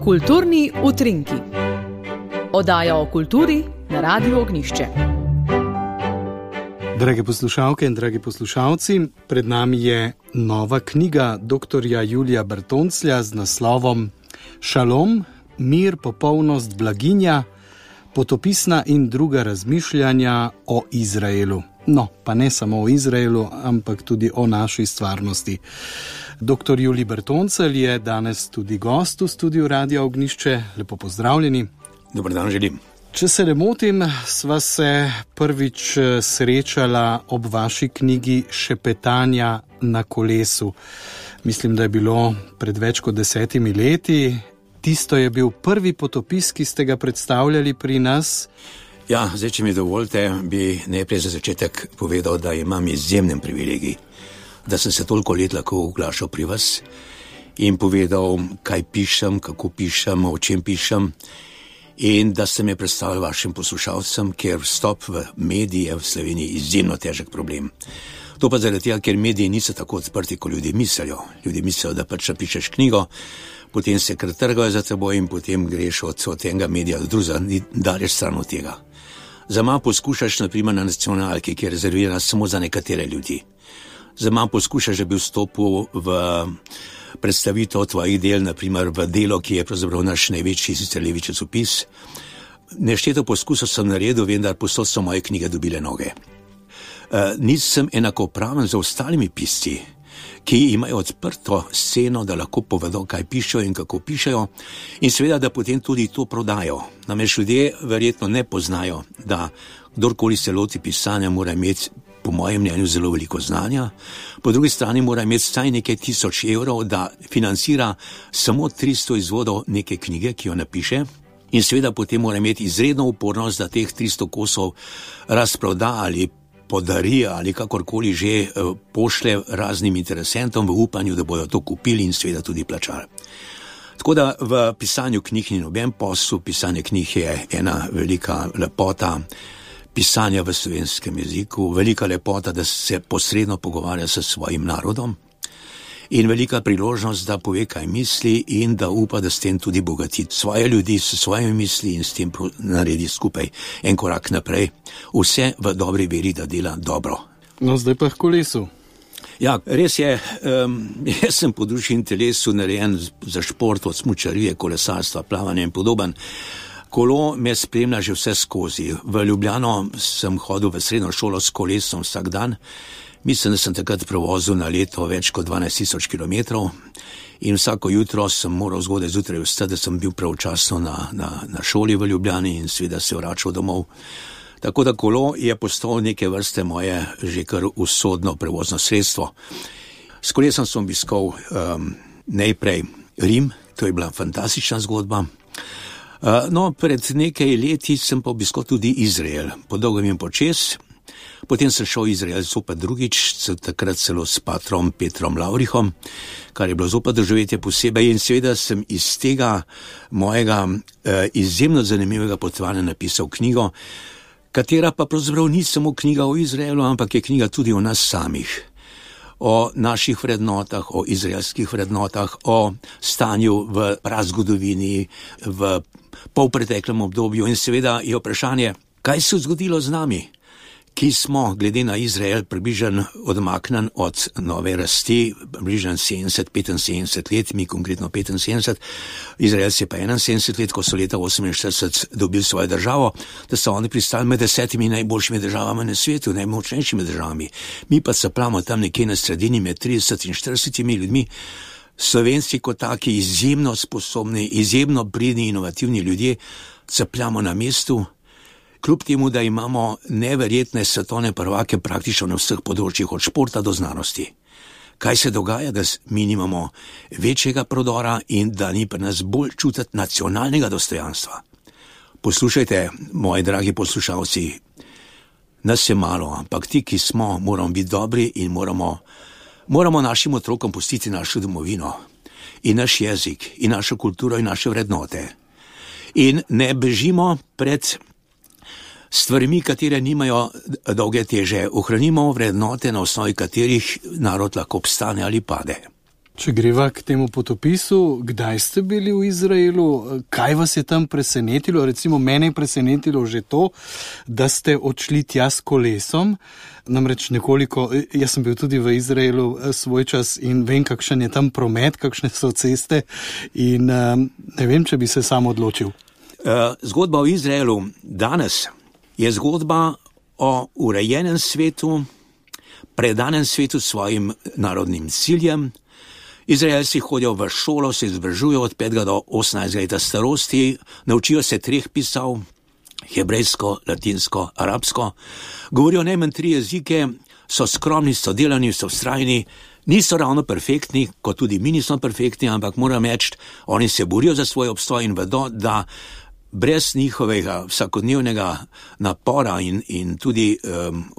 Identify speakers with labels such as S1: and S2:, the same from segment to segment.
S1: Kulturni utrinki. Oddaja o kulturi na Radiu Ognjišče.
S2: Drage poslušalke in dragi poslušalci, pred nami je nova knjiga dr. Julija Bertonclja z naslovom Šalom, mir, popolnost, blaginja, potopisna in druga razmišljanja o Izraelu. No, pa ne samo o Izraelu, ampak tudi o naši stvarnosti. Dr. Julij Bertoncelj je danes tudi gost v studiu Radia Ognjišče. Lepo pozdravljeni.
S3: Dobar dan želim.
S2: Če se ne motim, sva se prvič srečala ob vaši knjigi Šepetanja na kolesu. Mislim, da je bilo pred več kot 10 leti. Tisto je bil prvi potopis, ki ste ga predstavljali pri nas.
S3: Ja, zdaj, če mi dovolite, bi najprej za začetek povedal, da imam izjemen privilegij, da sem se toliko let lahko oglašal pri vas in povedal, kaj pišem, kako pišem, o čem pišem, in da ste me predstavili vašim poslušalcem, ker vstop v medije v Sloveniji izjemno težek problem. To pa zaradi tega, ker mediji niso tako odprti, kot ljudje mislijo. Ljudje mislijo, da pač napišeš knjigo, potem se kar trgajo za teboj in potem greš od enega medija do drugega, ni daleč stran od tega. Za manj poskušaš, naprimer, na nacionalki, ki je rezervirana samo za nekatere ljudi. Za manj poskušaš, da bi vstopil v predstavitev tvojih del, naprimer v Delo, ki je pravzaprav naš največji sicer levi časopis. Nešteto poskusov sem naredil, vendar posod so moje knjige dobile noge. Nisem enakopraven z ostalimi pisci, ki imajo odprto sceno, da lahko povedo, kaj pišejo in kako pišejo, in seveda, da potem tudi to prodajo. Namreč ljudje verjetno ne poznajo, da kdorkoli se loti pisanja, mora imeti, po mojem mnenju, zelo veliko znanja. Po drugi strani mora imeti vsaj nekaj 1000 evrov, da financira samo 300 izvodov neke knjige, ki jo napiše, in seveda potem mora imeti izredno upornost, da teh 300 kosov razproda ali podari ali kakorkoli že pošle raznim interesentom v upanju, da bodo to kupili in seveda tudi plačali. Tako da v pisanju knjig ni noben posel, pisanje knjig je ena velika lepota pisanja v slovenskem jeziku, velika lepota, da se posredno pogovarja s svojim narodom in velika priložnost, da pove, kaj misli in da upa, da s tem tudi bogati svoje ljudi s svojimi misli in s tem naredi skupaj en korak naprej. Vse v dobri veri, da dela dobro.
S2: No, zdaj pa k kolesu.
S3: Ja, res je, jaz sem po duši in telesu narejen za šport, od smučarije, kolesarstva, plavanja in podoben. Kolo me spremlja že vse skozi. V Ljubljano sem hodil v srednjo šolo s kolesom vsak dan. Mislim, da sem takrat prevozil na leto več kot 12 000 kilometrov in vsako jutro sem moral zgodaj zjutraj vstati, da sem bil pravočasno na šoli v Ljubljani in seveda se vračal domov. Tako da kolo je postalo neke vrste moje že kar usodno prevozno sredstvo. S kolesom sem obiskal najprej Rim, to je bila fantastična zgodba. No, pred nekaj leti sem pa obiskal tudi Izrael, po dolgem in počez. Potem sem šel v Izrael zopet drugič, takrat celo s patrom Petrom Lavrihom, kar je bilo zopet doživetje posebej, in seveda sem iz tega mojega izjemno zanimivega potovanja napisal knjigo, katera pa pravzaprav ni samo knjiga o Izraelu, ampak je knjiga tudi o nas samih, o naših vrednotah, o izraelskih vrednotah, o stanju v prazgodovini, v polpreteklem obdobju, in seveda je vprašanje, kaj se je zgodilo z nami, ki smo, glede na Izrael, približno odmaknjen od nove rasti, približno 70-75 let, mi konkretno 75, Izraelci pa 71 let, ko so leta 48 dobili svojo državo, da so oni pristali med 10 najboljšimi državami na svetu, najmočnejšimi državami. Mi pa se plamo tam nekje na sredini med 30 in 40 ljudmi. Slovenci kot taki izjemno sposobni, izjemno pridni, inovativni ljudje, capljamo na mestu, kljub temu, da imamo neverjetne svetovne prvake praktično na vseh področjih, od športa do znanosti. Kaj se dogaja, da mi nimamo večjega prodora in da ni pri nas bolj čutiti nacionalnega dostojanstva? Poslušajte, moji dragi poslušalci, nas je malo, ampak ti, ki smo, moramo biti dobri in moramo našim otrokom pustiti našo domovino in naš jezik in našo kulturo in naše vrednote. In ne bežimo pred stvarmi, katere nimajo dolge teže. Ohranimo vrednote, na osnovi katerih narod lahko obstane ali pade.
S2: Če greva k temu potopisu, kdaj ste bili v Izraelu, kaj vas je tam presenetilo? Recimo mene je presenetilo že to, da ste odšli tja s kolesom, namreč nekoliko, jaz sem bil tudi v Izraelu svoj čas in vem, kakšen je tam promet, kakšne so ceste in ne vem, če bi se sam odločil.
S3: Zgodba o Izraelu danes je zgodba o urejenem svetu, predanem svetu svojim narodnim ciljem. Izraelci hodijo v šolo, se izobražujejo od 5 do 18 leta starosti, naučijo se 3 pisav, hebrejsko, latinsko, arabsko, govorijo najmanj 3 jezike, so skromni, so delani, so vztrajni, niso ravno perfektni, kot tudi mi nismo perfektni, ampak moram reči, oni se borijo za svoj obstoj in vedo, da brez njihovega vsakodnevnega napora in tudi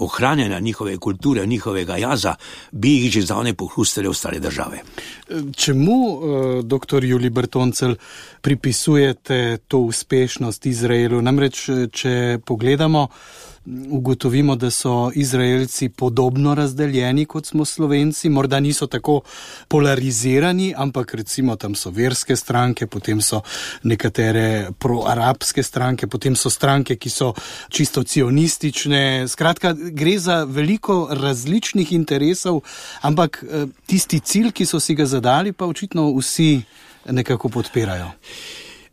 S3: ohranjanja njihove kulture, njihovega jaza, bi jih že zdavnaj pohrustili ostale države.
S2: Čemu, dr. Julij Bertoncelj, pripisujete to uspešnost Izraelu? Namreč, če pogledamo, ugotovimo, da so Izraelci podobno razdeljeni, kot smo Slovenci, morda niso tako polarizirani, ampak recimo tam so verske stranke, potem so nekatere proarabske stranke, potem so stranke, ki so čisto cionistične. Skratka, gre za veliko različnih interesov, ampak tisti cilj, ki so si ga zadali, pa očitno vsi nekako podpirajo.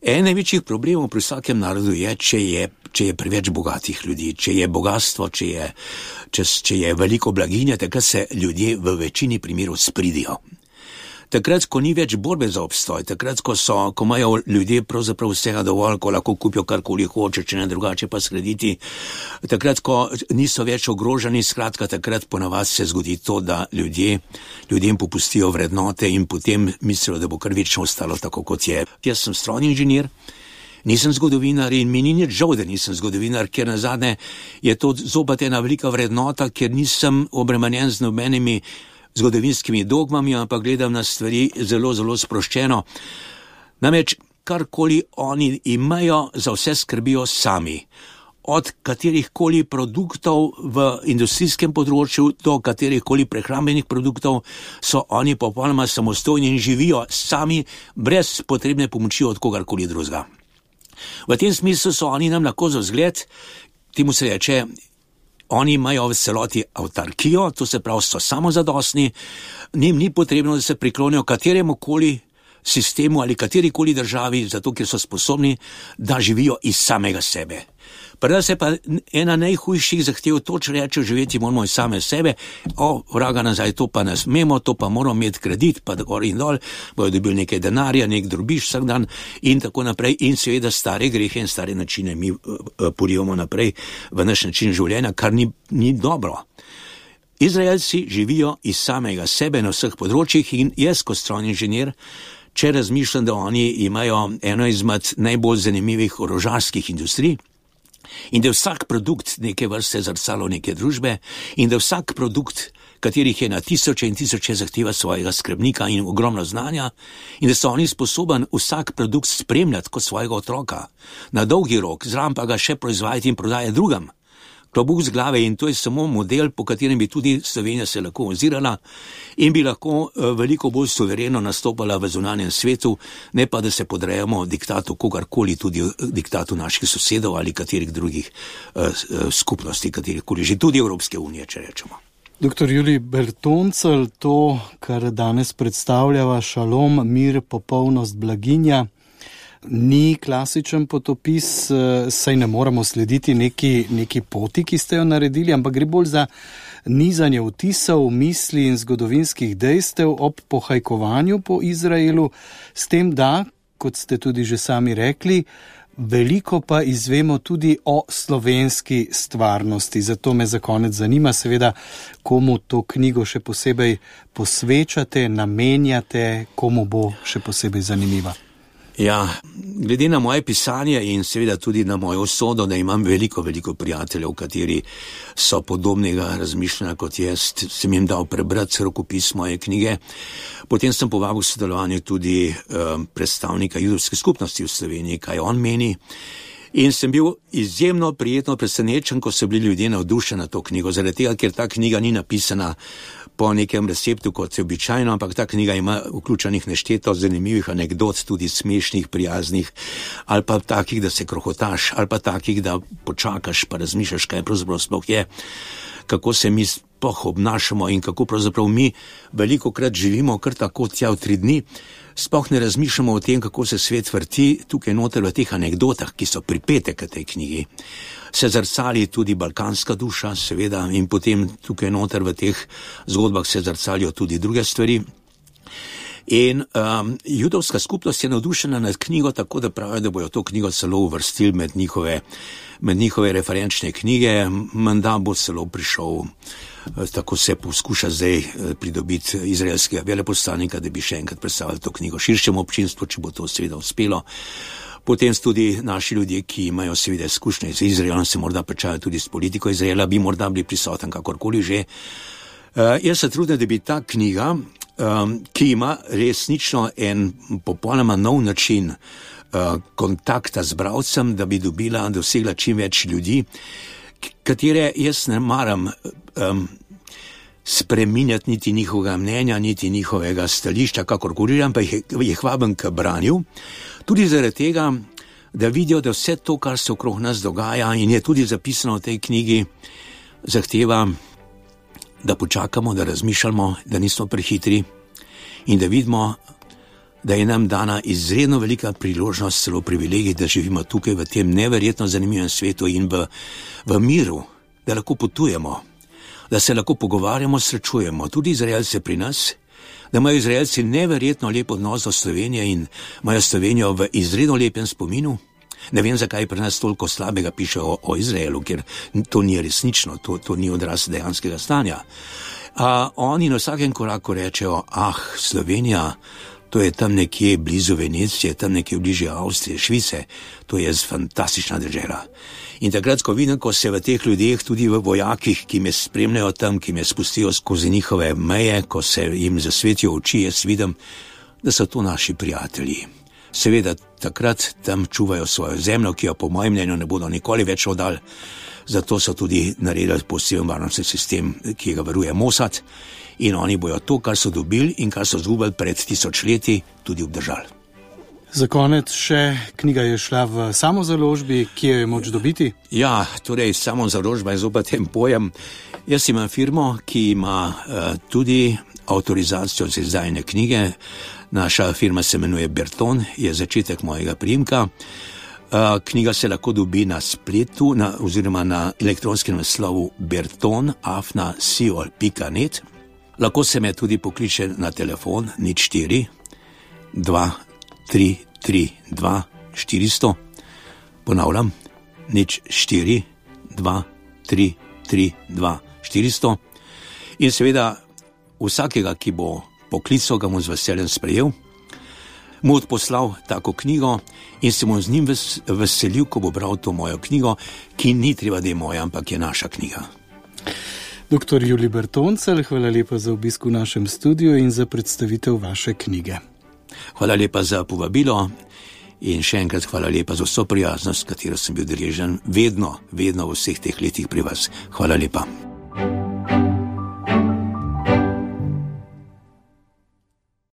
S3: En največjih problemov pri vsakem narodu je, če je preveč bogatih ljudi, če je bogatstvo, če je veliko blaginja, takrat se ljudje v večini primerov spridijo. Takrat, ko ni več borbe za obstoj, takrat, ko imajo ljudje pravzaprav vsega dovolj, ko lahko kupijo karkoli hoče, če ne drugače pa skrediti, takrat, ko niso več ogroženi, skratka, takrat ponavadi se zgodi to, da ljudem popustijo vrednote in potem mislijo, da bo kar večno ostalo tako, kot je. Jaz sem strojni inženir, nisem zgodovinar in mi ni nič žal, da nisem zgodovinar, ker nazadnje je to zopet ena velika vrednota, ker nisem obremenjen z nobenimi zgodovinskimi dogmami, ampak gledam na stvari zelo, zelo sproščeno. Namreč, karkoli oni imajo, za vse skrbijo sami. Od katerihkoli produktov v industrijskem področju do katerihkoli prehrambenih produktov so oni popolnoma samostojni in živijo sami, brez potrebne pomoči od kogarkoli drugega. V tem smislu so oni nam lahko za vzgled, temu se reče, oni imajo v celoti avtarkijo, to se pravi, so samozadostni, njim ni potrebno, da se priklonijo kateremukoli sistemu ali katerikoli državi, zato ker so sposobni, da živijo iz samega sebe. Preda se pa ena najhujših zahtev, toč reče, živeti moramo iz same sebe, vraga nazaj, to pa ne smemo, to pa moramo imeti kredit, pa gor in dol, bojo dobili nekaj denarja, nek drobiš vsak dan in tako naprej in seveda stare grehe in stare načine mi porivamo naprej v naš način življenja, kar ni dobro. Izraelci živijo iz samega sebe na vseh področjih in jaz kot strojni inženir, če razmišljam, da oni imajo eno izmed najbolj zanimivih orožarskih industrij, in da vsak produkt neke vrste zrcalo neke družbe in da vsak produkt, katerih je na tisoče in tisoče, zahteva svojega skrbnika in ogromno znanja in da so oni sposoben vsak produkt spremljati kot svojega otroka, na dolgi rok, zraven pa ga še proizvajati in prodajati drugam. Klobuk z glave in to je samo model, po katerem bi tudi Slovenija se lahko ozirala in bi lahko veliko bolj suvereno nastopala v zunanjem svetu, ne pa da se podrejamo diktatu kogarkoli, tudi diktatu naših sosedov ali katerih drugih skupnosti, katerihkoli, že tudi Evropske unije, če rečemo.
S2: Dr. Julij Bertoncelj, to, kar danes predstavljava, šalom, mir, popolnost, blaginja, ni klasičen potopis, saj ne moramo slediti neki poti, ki ste jo naredili, ampak gre bolj za nizanje vtisov, misli in zgodovinskih dejstev ob pohajkovanju po Izraelu, s tem, da, kot ste tudi že sami rekli, veliko pa izvemo tudi o slovenski stvarnosti. Zato me za konec zanima, seveda, komu to knjigo še posebej posvečate, namenjate, komu bo še posebej zanimiva.
S3: Ja, glede na moje pisanje in seveda tudi na mojo usodo, da imam veliko prijateljev, kateri so podobnega razmišljanja kot jaz, sem jim dal prebrati rokopis moje knjige. Potem sem povabil k sodelovanju tudi predstavnika judovske skupnosti v Sloveniji, kaj on meni. In sem bil izjemno prijetno presenečen, ko so bili ljudje navdušeni na to knjigo, zaradi tega, ker ta knjiga ni napisana po nekem receptu, kot je običajno, ampak ta knjiga ima vključenih nešteto zanimivih anekdot, tudi smešnih, prijaznih, ali pa takih, da se krohotaš, ali pa takih, da počakaš, pa razmišljaš, kaj pravzaprav sploh je, kako se mi sploh obnašamo in kako pravzaprav mi velikokrat živimo kar tako tja v 3 dni, sploh ne razmišljamo o tem, kako se svet vrti. Tukaj noter v teh anekdotah, ki so pripete k tej knjigi, se zrcali tudi balkanska duša, seveda, in potem tukaj noter v teh zgodbah se zrcalijo tudi druge stvari. In judovska skupnost je navdušena nad knjigo, tako da pravijo, da bojo to knjigo celo uvrstili med njihove referenčne knjige. Menda bo celo prišel, tako se poskuša zdaj pridobiti izraelskega veleposlanika, da bi še enkrat predstavili to knjigo širšemu občinstvu, če bo to seveda uspelo. Potem tudi naši ljudje, ki imajo seveda izkušnje z Izraelom, se morda pričajo tudi s politiko Izraela, bi morda bili prisoten kakorkoli že. Jaz se trudim, da bi ta knjiga, ki ima resnično en popolnoma nov način kontakta z bralcem, da bi dosegla čim več ljudi, katere jaz ne maram spreminjati niti njihovega mnenja, niti njihovega stališča, kakorkoli, ampak jih vabim k branju, tudi zaradi tega, da vidijo, da vse to, kar se okrog nas dogaja in je tudi zapisano v tej knjigi, zahteva, da počakamo, da razmišljamo, da nismo prehitri in da vidimo, da je nam dana izredno velika priložnost, celo privilegij, da živimo tukaj v tem neverjetno zanimivem svetu in v miru, da lahko potujemo, da se lahko pogovarjamo, srečujemo, tudi Izraelce pri nas, da imajo Izraelci neverjetno lep odnos do Slovenije in imajo Slovenijo v izredno lepem spominu. Ne vem, zakaj pri nas toliko slabega piše o Izraelu, ker to ni resnično, to ni odraz dejanskega stanja. Oni na vsakem koraku rečejo, Slovenija, to je tam nekje blizu Venecije, tam nekje bližje Avstrije, Švice, to je fantastična država. In takrat, ko vidim, ko se v teh ljudeh, tudi v vojakih, ki me spremljajo tam, ki me spustijo skozi njihove meje, ko se jim zasvetijo oči, jaz vidim, da so to naši prijatelji. Seveda, takrat tam čuvajo svojo zemljo, ki jo po mojem mnenju ne bodo nikoli več oddali, zato so tudi naredili poseben varnostni sistem, ki ga varuje Mossad, in oni bojo to, kar so dobili in kar so zgubili pred 1000 leti, tudi obdržali.
S2: Za konec še, knjiga je šla v samozaložbi, ki jo je moč dobiti?
S3: Ja, torej samozaložba je zopet en pojem. Jaz imam firmo, ki ima tudi avtorizacijo za izdajanje knjige. Naša firma se imenuje Berton, je začetek mojega priimka. Knjiga se lahko dobi na spletu oziroma na elektronskem naslovu berton@siol.net. Lahko se me tudi pokliče na telefon 04 2332 400. Ponavljam, 04 2332 400. In seveda vsakega, ki bo poklical, ga bom z veseljem sprejel, mu odposlal tako knjigo in se bom z njim veselil, ko bo bral to mojo knjigo, ki ni treba, da je moja, ampak je naša knjiga.
S2: Dr. Julij Bertoncelj, hvala lepa za obisk v našem studiu in za predstavitev vaše knjige.
S3: Hvala lepa za povabilo in še enkrat hvala lepa za vso prijaznost, katero sem bil deležen vedno v vseh teh letih pri vas. Hvala lepa.